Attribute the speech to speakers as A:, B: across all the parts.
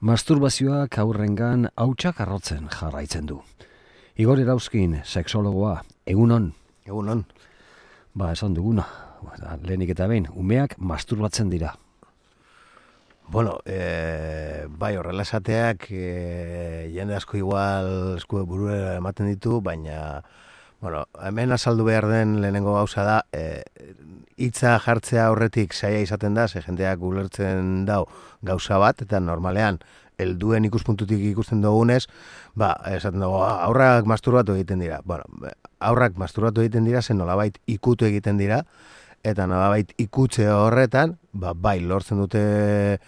A: Masturbazioak aurrengan hautsak arrotzen jarraitzen du. Igor Erauzkin, sexologoa, egunon.
B: Egunon.
A: Esan duguna, lehenik eta behin, umeak masturbatzen dira.
B: Bueno, bai horrela esateak jende asko igual esku burura ematen ditu, baina hemen azaldu behar den lehenengo gauza da, hitza jartzea horretik saia izaten da, ze jendeak ulertzen dau gauza bat, eta normalean, helduen ikuspuntutik ikusten dugunez, esaten dugu, aurrak masturbatu egiten dira. Aurrak masturbatu egiten dira, zen nolabait ikutu egiten dira, eta nolabait ikutze horretan, bai, lortzen dute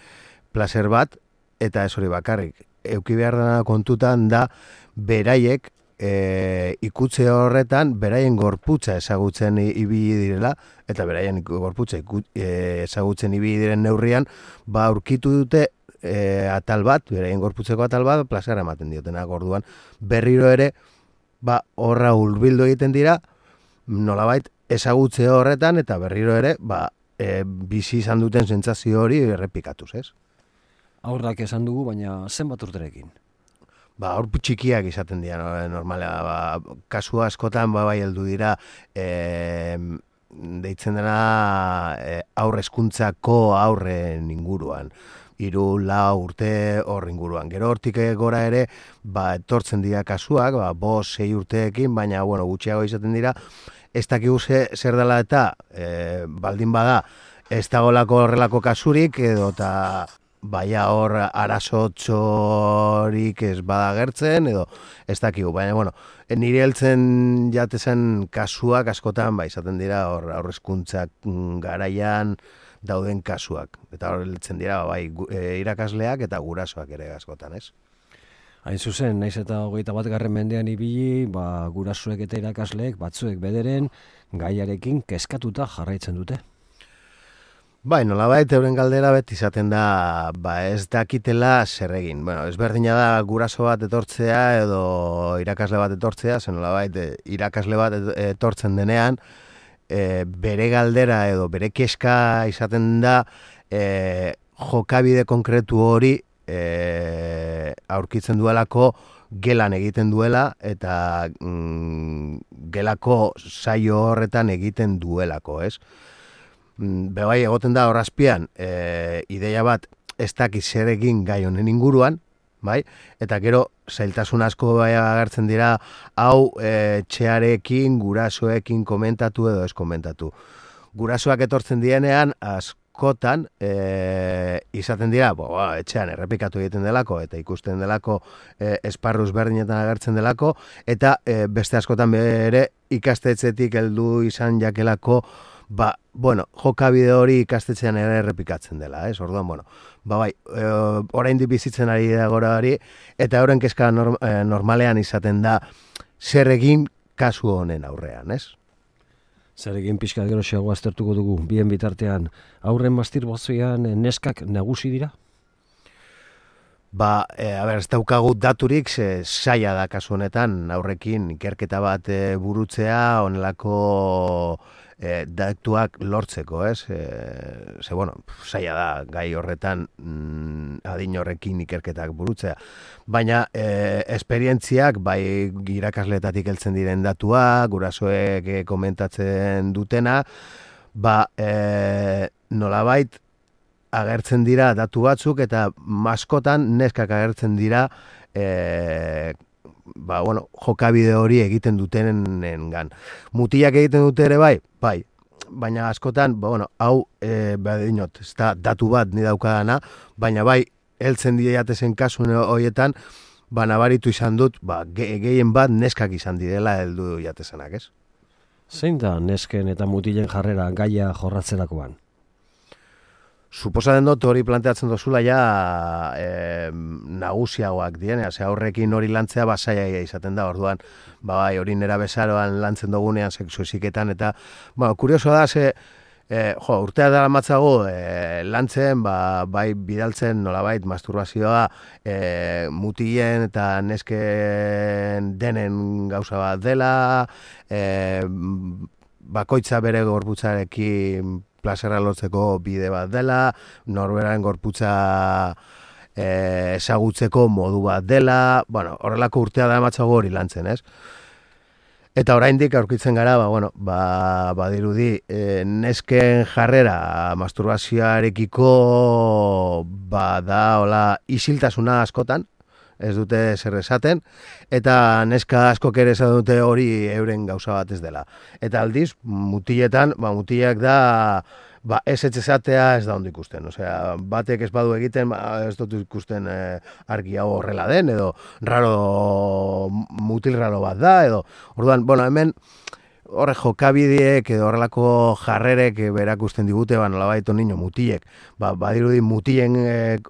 B: placer bat, eta ez hori bakarrik. Euki behar dena kontutan da, beraiek, ikutze horretan, beraien gorputza ezagutzen ibili direla, eta beraien gorputza ezagutzen ibili diren neurrian, aurkitu dute atal bat, beraien gorputzeko atal bat, plazera ematen diotenak orduan. Berriro ere, horra hurbildu egiten dira, nolabait ezagutze horretan, eta berriro ere, bizi izan duten sentsazio hori errepikatuz, ez?
A: Aurrak esan dugu, baina zenbat urterekin?
B: Hor txikiak izaten dira, normala, kasu askotan, bai heldu dira, deitzen dena aurre hezkuntzako aurren inguruan. 3-4 urte hor inguruan. Gero hortik gora ere, etortzen dira kasuak, 5-6 urteekin, baina, gutxiago izaten dira, ez dakigu zer dela eta, baldin bada, ez dagolako horrelako kasurik, edo eta hor arazotxorik ez badagertzen, edo ez dakigu. Baina, nire heltzen jatezen kasuak askotan, izaten dira hor aurrezkuntzak garaian dauden kasuak. Eta hor heltzen dira, irakasleak eta gurasoak ere askotan, ez?
A: Hain zuzen, naiz eta 21. mendean ibili, gurasoek eta irakasleek batzuek bederen gaiarekin kezkatuta jarraitzen dute.
B: Nolabait euren galdera beti izaten da, ez dakitela zer egin. Ezberdina da guraso bat etortzea edo irakasle bat etortzea, zen nolabait irakasle bat etortzen denean, bere galdera edo bere kezka izaten da jokabide konkretu hori aurkitzen duelako gelan egiten duela eta gelako saio horretan egiten duelako, ez? Bai egoten da horrazpian ideia bat ez dakiz zer egin gai honen inguruan, bai? Eta gero zailtasun asko agertzen dira hau etxearekin, gurasoekin komentatu edo ez komentatu. Gurasoak etortzen dienean askotan izaten dira, etxean errepikatu egiten delako eta ikusten delako esparruz berdinetan agertzen delako, eta beste askotan ere ikastetxetik heldu izan jakelako jokabide hori ikastetxean ere errepikatzen dela, ez? Orduan, oraindik bizitzen ari da gora hori, eta horren kezka normalean izaten da zer egin kasu honen aurrean, ez?
A: Zer egin pixka gero xeago aztertuko dugu, bien bitartean, aurren masturbazioan neskak nagusi dira?
B: Ez daukagu daturik, zaila da kasu honetan, aurrekin ikerketa bat burutzea, honelako datuak lortzeko, ez? Zaila da gai horretan adin horrekin ikerketak burutzea. Baina esperientziak, irakasletatik heltzen diren datuak, gurasoek komentatzen dutena, nolabait agertzen dira datu batzuk eta maskotan neskak agertzen dira jokabide hori egiten dutenengan. Mutilak egiten dute ere bai, baina askotan, hau dinot, ez da datu bat ni daukadana, baina heltzen diatezen kasu horietan, nabaritu izan dut, gehien bat neskak izan direla heldu jatezenak, ez?
A: Zein da nesken eta mutilen jarrera gaia jorratzerakoan?
B: Suposatzen dut hori planteatzen dozula nagusiagoak diena, aurrekin hori lantzea zaila izaten da, orduan, hori nera bezaroan lantzen dugunean sexu heziketan, eta, kurioso da, urtea dara matzago lantzen, bidaltzen nolabait masturbazioa mutilen eta nesken denen gauza bat dela, bakoitza bere gorputzarekin plazera lortzeko bide bat dela, norberaren gorputza ezagutzeko modu bat dela, bueno, horrelako urtea da ematzago hori lantzen, ez? Eta oraindik aurkitzen gara, badirudi, nesken jarrera masturbazioarekiko da hola isiltasuna askotan, ez dute zer esaten, eta neska askok ere esaten dute hori euren gauza bat ez dela. Eta aldiz, mutiletan, mutilak da, ez etxezatea ez da ondo ikusten. Osea, batek ez badu egiten, ez dut ikusten argi hau horrela den, edo mutil raro bat da, edo, orduan, hemen, horre jokabideek edo horrelako jarrerek berakusten digute, nolabait niño mutilek, badirudi mutilen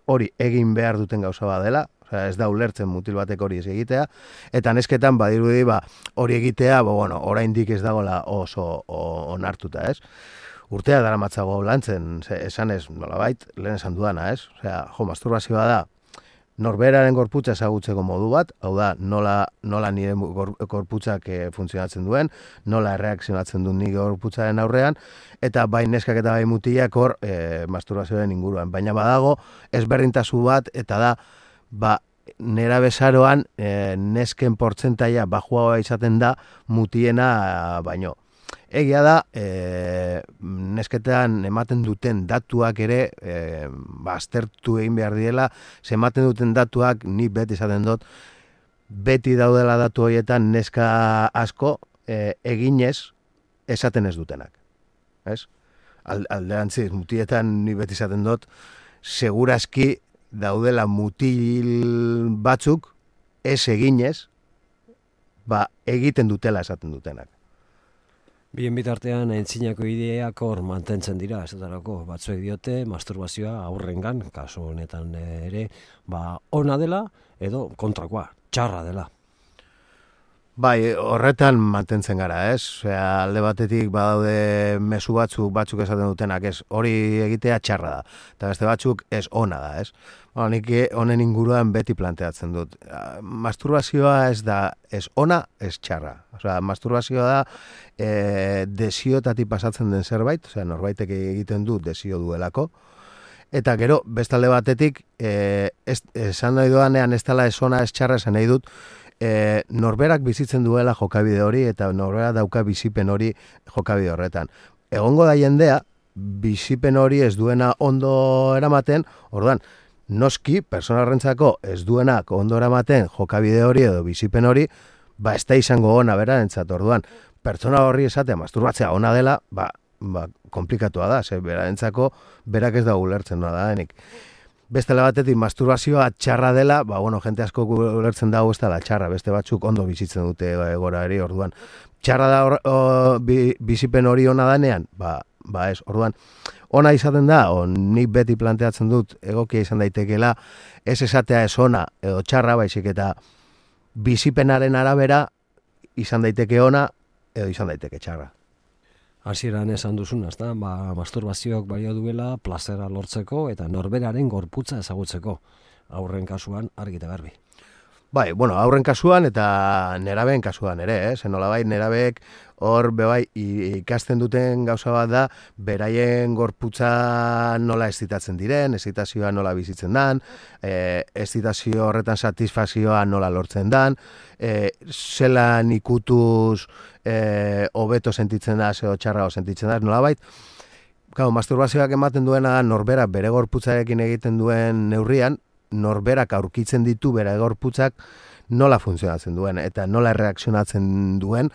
B: hori egin behar duten gauza bat dela, osea, ez da ulertzen mutil batek hori ez egitea, eta nesketan badirudi hori egitea, oraindik ez dagoela oso onartuta, ez? Urtea daramatzago lantzen, esan ez, nolabait, lehen esan dudana, ez? Osea, masturbazioa da, norberaren gorputza ezagutzeko modu bat, hau da, nola nire gorputzak funtzionatzen duen, nola erreakzionatzen duen nire gorputzaren aurrean, eta bai neskak eta bai mutilak hor masturbazioaren inguruan. Baina badago, ezberdintasun bat, eta da, nera bezaroan nesken portzentaia bajuagoa izaten da mutiena baino. Egia da, nesketan ematen duten datuak ere, aztertu egin behar diela, ematen duten datuak, nik beti izaten dut, beti daudela datu horietan neska asko eginez esaten ez dutenak. Alderantziz, mutietan nik beti izaten dut, segurazki daudela mutil batzuk ez eginez, egiten dutela esaten dutenak.
A: Bien bitartean aintzinako ideak hor mantentzen dira, esaterako batzuek diote masturbazioa aurrengan, kasu honetan ere, ona dela edo kontrakoa, txarra dela.
B: Bai, horretan mantentzen gara, ez? Osea, alde batetik badaude mezu batzuk esaten dutenak, ez? Hori egitea txarra da, eta beste batzuk ez ona da, ez? Nik honen inguruan beti planteatzen dut. Masturbazioa ez da, ez ona, ez txarra. Osea, masturbazioa da desioetatik pasatzen den zerbait, osea, norbaitek egiten du desio duelako, eta gero, bestalde batetik, esan nahi doanean ez dela ez ona, ez txarra, esan nahi dut, norberak bizitzen duela jokabide hori eta norberak dauka bizipen hori jokabide horretan. Egongo da jendea, bizipen hori ez duena ondo eramaten, orduan, noski, personarrentzako ez duenak ondo eramaten jokabide hori edo bizipen hori, ez da izango ona berarentzat, orduan, pertsona horri esatea masturbatzea ona dela, komplikatua da, berarentzako berak ez da ulertzen da denik. Bestela batetik masturbazioa txarra dela, jente asko ulertzen dago ez dela txarra, beste batzuk ondo bizitzen dute egora eri, orduan. Txarra da bizipen hori ona danean? Ez, orduan. Ona izaten da, nik beti planteatzen dut egokia izan daitekeela, ez esatea ez ona edo txarra, baizik eta bizipenaren arabera izan daiteke ona edo izan daiteke txarra.
A: Hasieran esan duzuna, ezta? Masturbazioak balio duela plazera lortzeko eta norberaren gorputza ezagutzeko. Aurren kasuan argi eta garbi.
B: Bai, aurren kasuan eta nerabeen kasuan ere, nolabait nerabeek hor ikasten duten gauza bat da, beraien gorputza nola excitatzen diren, excitazioa nola bizitzen dan, excitazio horretan satisfazioa nola lortzen dan, zelan ikutuz hobeto sentitzen da, edo txarrago sentitzen da, nolabait. Masturbazioak ematen duena da norberak bere gorputzarekin egiten duen neurrian, norberak aurkitzen ditu bere gorputzak nola funtzionatzen duen eta nola erreakzionatzen duen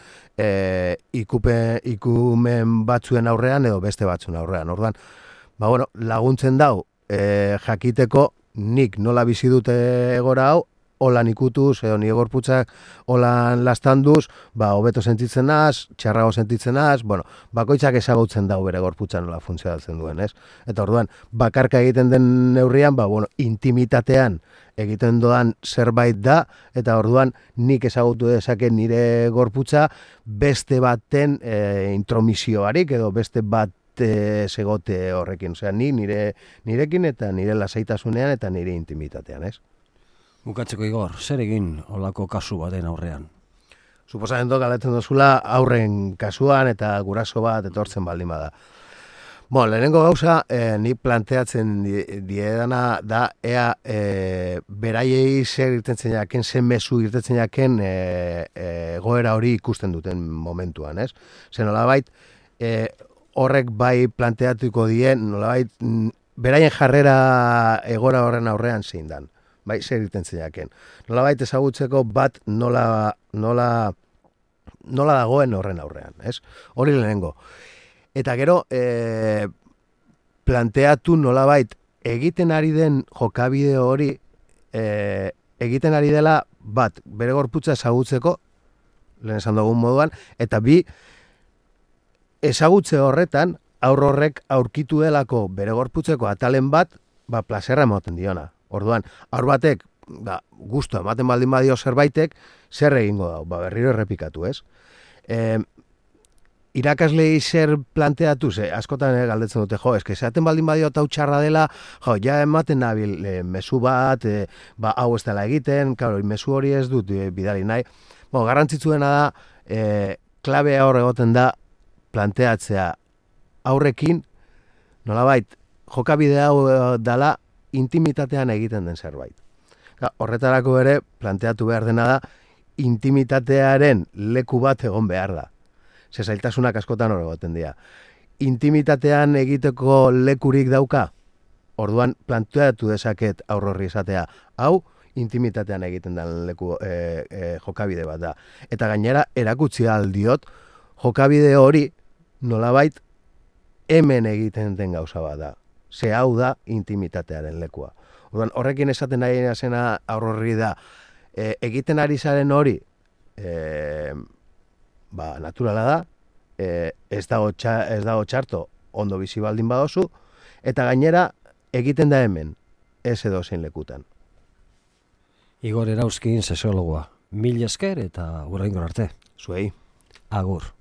B: ikumen batzuen aurrean edo beste batzuen aurrean. Orduan, laguntzen dau jakiteko nik nola bizi dute egora hau, holan ikutuz, edo nire gorputzak holan lastanduz, hobeto sentitzen naz, txarrago sentitzen naz, bakoitzak ezagutzen dau bere gorputza nola funtzionatzen duen, ez? Eta orduan, bakarka egiten den neurrian, intimitatean egiten doan zerbait da, eta orduan nik ezagutu dezake nire gorputza beste baten intromisioarik, edo beste bat segote horrekin. Osea, nirekin eta nire lasaitasunean eta nire intimitatean, ez?
A: Bukatzeko Igor, zer egin olako kasu baten aurrean?
B: Suposatzen galetzen duzula aurren kasuan eta guraso bat etortzen baldin bada. Lehenengo gauza, ni planteatzen diedana da, ea beraiei zer irtetzen jaken, zen mezu irtetzen jaken goera hori ikusten duten momentuan, ez? Zer nolabait, horrek bai planteatuko dien, nolabait, beraien jarrera egora horren aurrean zein dan, bai, zer irtetzen jaken. Nolabait ezagutzeko bat nola dagoen horren aurrean, ez? Hori lehenengo. Eta gero, planteatu nolabait egiten ari den jokabide hori, egiten ari dela bat, bere gorputza ezagutzeko, lehen esan dugun moduan, eta bi, ezagutze horretan, aur horrek aurkitu delako bere gorputzeko atalen bat, plazerra ematen diona. Orduan, aur batek, gustu ematen baldin badio zerbaitek, zer egingo dau, berriro errepikatu, ez? Irakaslei zer planteatu, askotan galdetzen dute, eske esaten baldin badio hau txarra dela, ja ematen nabil mezu bat, hau ez dela egiten, mezu hori ez dut bidali nahi. Garrantzitsuena da, klabea hor egoten da planteatzea aurrekin, nolabait, jokabide hau dala intimitatean egiten den zerbait. Horretarako ere, planteatu behar dena da, intimitatearen leku bat egon behar da. Zailtasunak askotan hor egoten dira. Intimitatean egiteko lekurik dauka, orduan planteatu dezaket aur horri esatea, hau intimitatean egiten den leku jokabide bat da. Eta gainera erakutsi aldiot, jokabide hori nolabait hemen egiten den gauza bat da. Ze hau da intimitatearen lekua. Orduan horrekin esaten nahi zena aur horri da, egiten ari zaren hori, naturala da, ez dago txarto ondo bizi baldin badozu, eta gainera egiten da hemen, ez edo zein lekutan.
A: Igor Erauzkin sexologoa, mil esker eta hurrengo arte.
B: Zuei.
A: Agur.